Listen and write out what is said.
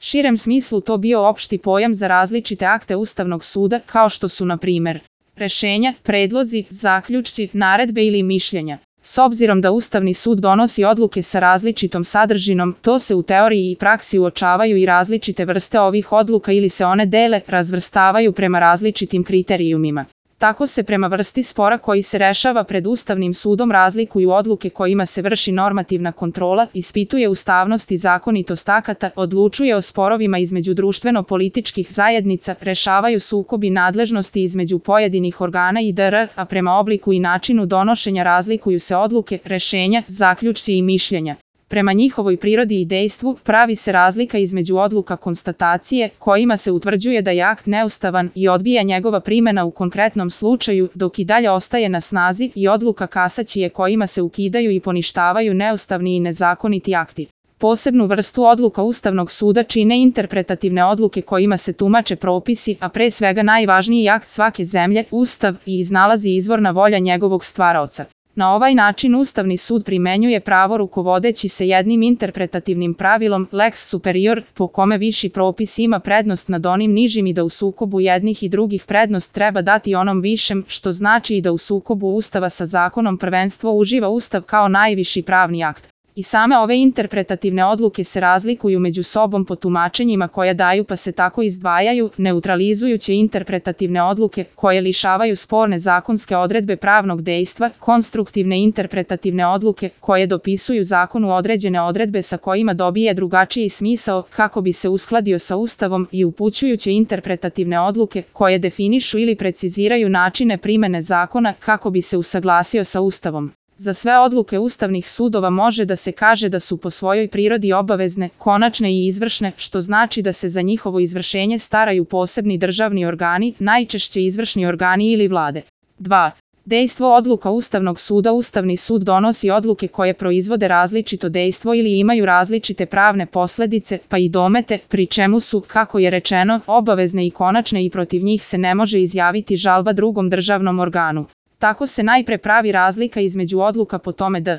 širem smislu to bio opšti pojam za različite akte Ustavnog suda, kao što su na primjer rešenja, predlozi, zaključci, naredbe ili mišljenja. S obzirom da Ustavni sud donosi odluke sa različitom sadržinom, to se u teoriji i praksi uočavaju i različite vrste ovih odluka ili se one dele, razvrstavaju prema različitim kriterijumima. Tako se prema vrsti spora koji se rešava pred Ustavnim sudom razlikuju odluke kojima se vrši normativna kontrola, ispituje ustavnost i zakonitost akata, odlučuje o sporovima između društveno-političkih zajednica, rešavaju sukobi nadležnosti između pojedinih organa i dr., a prema obliku i načinu donošenja razlikuju se odluke, rešenja, zaključci i mišljenja. Prema njihovoj prirodi i dejstvu pravi se razlika između odluka konstatacije, kojima se utvrđuje da je akt neustavan i odbija njegova primjena u konkretnom slučaju, dok i dalje ostaje na snazi, i odluka kasacije kojima se ukidaju i poništavaju neustavni i nezakoniti akti. Posebnu vrstu odluka Ustavnog suda čine interpretativne odluke kojima se tumače propisi, a pre svega najvažniji akt svake zemlje, Ustav, i iznalazi izvorna volja njegovog stvaraoca. Na ovaj način Ustavni sud primenjuje pravo rukovodeći se jednim interpretativnim pravilom lex superior, po kome viši propis ima prednost nad onim nižim i da u sukobu jednih i drugih prednost treba dati onom višem, što znači i da u sukobu Ustava sa zakonom prvenstvo uživa Ustav kao najviši pravni akt. I same ove interpretativne odluke se razlikuju među sobom po tumačenjima koja daju pa se tako izdvajaju, neutralizujuće interpretativne odluke koje lišavaju sporne zakonske odredbe pravnog dejstva, konstruktivne interpretativne odluke koje dopisuju zakonu određene odredbe sa kojima dobije drugačiji smisao kako bi se uskladio sa Ustavom i upućujuće interpretativne odluke koje definišu ili preciziraju načine primene zakona kako bi se usaglasio sa Ustavom. Za sve odluke ustavnih sudova može da se kaže da su po svojoj prirodi obavezne, konačne i izvršne, što znači da se za njihovo izvršenje staraju posebni državni organi, najčešće izvršni organi ili vlade. 2. Dejstvo odluka Ustavnog suda. Ustavni sud donosi odluke koje proizvode različito dejstvo ili imaju različite pravne posledice, pa i domete, pri čemu su, kako je rečeno, obavezne i konačne i protiv njih se ne može izjaviti žalba drugom državnom organu. Tako se najpre pravi razlika između odluka po tome da